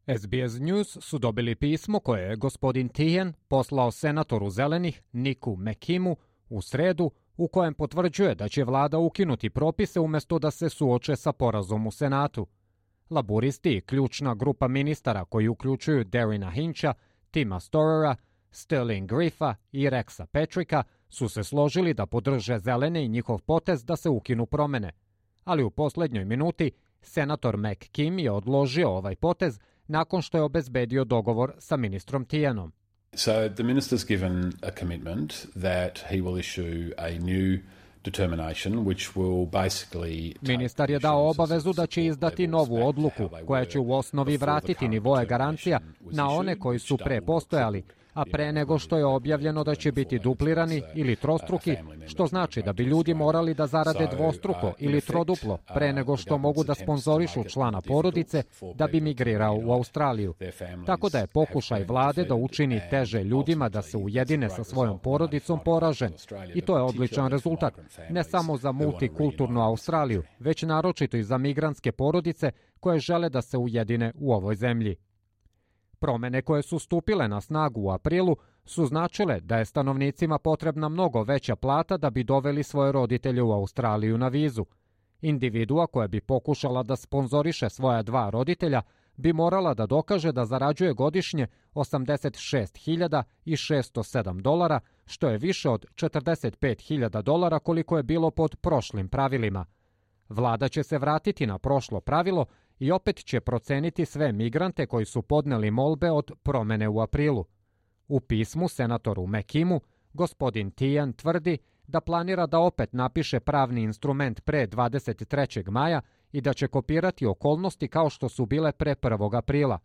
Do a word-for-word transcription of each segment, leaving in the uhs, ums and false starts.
S B S News su dobili pismo koje je gospodin Tijen poslao senatoru Zelenih Niku McKimu u sredu, u kojem potvrđuje da će vlada ukinuti propise umjesto da se suoče sa porazom u Senatu. Laburisti i ključna grupa ministara koji uključuju Darina Hincha, Tima Storera, Sterling Griffa i Rexa Patricka su se složili da podrže Zelene i njihov potez da se ukinu promene. Ali u posljednjoj minuti senator McKim je odložio ovaj potez nakon što je obezbedio dogovor sa ministrom Tijenom. So the minister's given a commitment that he will issue a new determination which will basically... Ministar je dao obavezu da će izdati novu odluku koja će u osnovi vratiti nivoe garancija na one koji su pre postojali, a pre nego što je objavljeno da će biti duplirani ili trostruki, što znači da bi ljudi morali da zarade dvostruko ili troduplo pre nego što mogu da sponzorišu člana porodice da bi migrirao u Australiju. Tako da je pokušaj vlade da učini teže ljudima da se ujedine sa svojom porodicom poražen. I to je odličan rezultat, ne samo za multikulturnu Australiju, već naročito i za migrantske porodice koje žele da se ujedine u ovoj zemlji. Promene koje su stupile na snagu u aprilu su značile da je stanovnicima potrebna mnogo veća plata da bi doveli svoje roditelje u Australiju na vizu. Individua koja bi pokušala da sponzoriše svoja dva roditelja bi morala da dokaže da zarađuje godišnje osamdeset šest hiljada šessto sedam dolara, što je više od četrdeset pet hiljada dolara koliko je bilo pod prošlim pravilima. Vlada će se vratiti na prošlo pravilo i opet će proceniti sve migrante koji su podneli molbe od promene u aprilu. U pismu senatoru McKimu, gospodin Tijen tvrdi da planira da opet napiše pravni instrument pre dvadeset trećeg maja i da će kopirati okolnosti kao što su bile pre prvog aprila.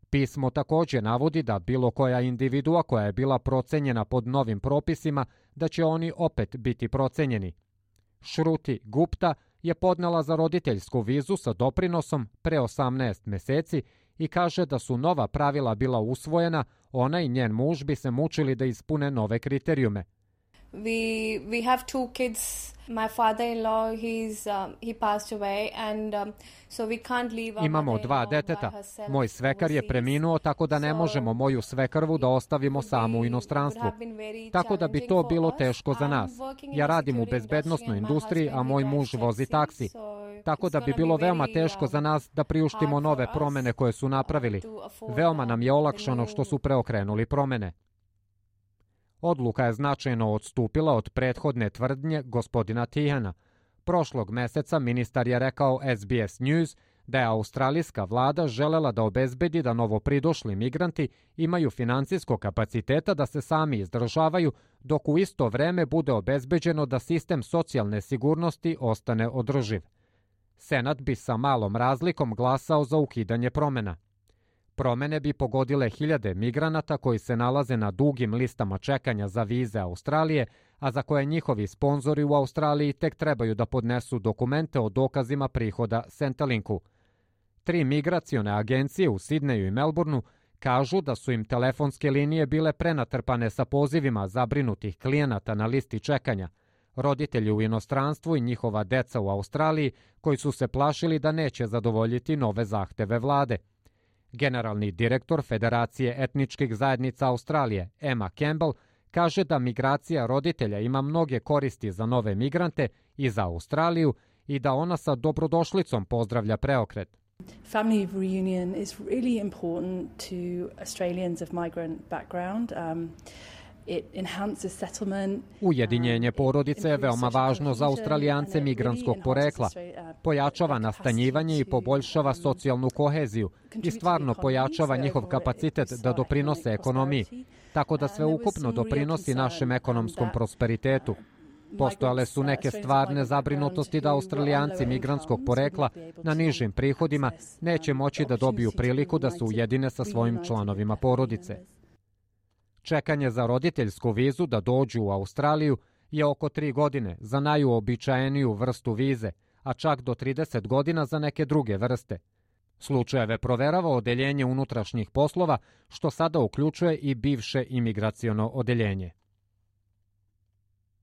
Pismo također navodi da bilo koja individua koja je bila procenjena pod novim propisima, da će oni opet biti procenjeni. Shruti Gupta je podnela za roditeljsku vizu sa doprinosom pre osamnaest meseci i kaže da su nova pravila bila usvojena, ona i njen muž bi se mučili da ispune nove kriterijume. We we have two kids. My father-in-law, he's um, he passed away, and um, so we can't leave our Imamo dva deteta. Moj svekar je preminuo, tako da ne možemo moju svekrvu da ostavimo samu u inostranstvu. Tako da bi to bilo teško za nas. Ja radim u bezbednosnoj industriji, a moj muž vozi taksi. Tako da bi bilo veoma teško za nas da priuštimo nove promene koje su napravili. Veoma nam je olakšano što su preokrenuli promene. Odluka je značajno odstupila od prethodne tvrdnje gospodina Tijena. Prošlog meseca ministar je rekao S B S News da je australijska vlada želela da obezbedi da novopridošli migranti imaju financijskog kapaciteta da se sami izdržavaju, dok u isto vreme bude obezbeđeno da sistem socijalne sigurnosti ostane održiv. Senat bi sa malom razlikom glasao za ukidanje promena. Promene bi pogodile hiljade migranata koji se nalaze na dugim listama čekanja za vize Australije, a za koje njihovi sponzori u Australiji tek trebaju da podnesu dokumente o dokazima prihoda Centrelinku. Tri migracione agencije u Sidneju i Melbourneu kažu da su im telefonske linije bile prenatrpane sa pozivima zabrinutih klijenata na listi čekanja, roditelji u inostranstvu i njihova deca u Australiji koji su se plašili da neće zadovoljiti nove zahteve vlade. Generalni direktor Federacije etničkih zajednica Australije, Emma Campbell, kaže da migracija roditelja ima mnoge koristi za nove migrante i za Australiju i da ona sa dobrodošlicom pozdravlja preokret. Family reunion is really important to Australians of migrant background. Um, It enhances settlement. Ujedinjenje porodice je veoma važno za Australijance migranskog porekla. Pojačava nastanjivanje i poboljšava socijalnu koheziju i stvarno pojačava njihov kapacitet da doprinose ekonomiji, tako da sve ukupno doprinosi našem ekonomskom prosperitetu. Postojale su neke stvarne zabrinutosti da Australijanci migrantskog porekla na nižim prihodima neće moći da dobiju priliku da se ujedine sa svojim članovima porodice. Čekanje za roditeljsku vizu da dođu u Australiju je oko tri godine za najuobičajeniju vrstu vize, a čak do trideset godina za neke druge vrste. Slučajeve proverava Odeljenje unutrašnjih poslova, što sada uključuje i bivše imigraciono odeljenje.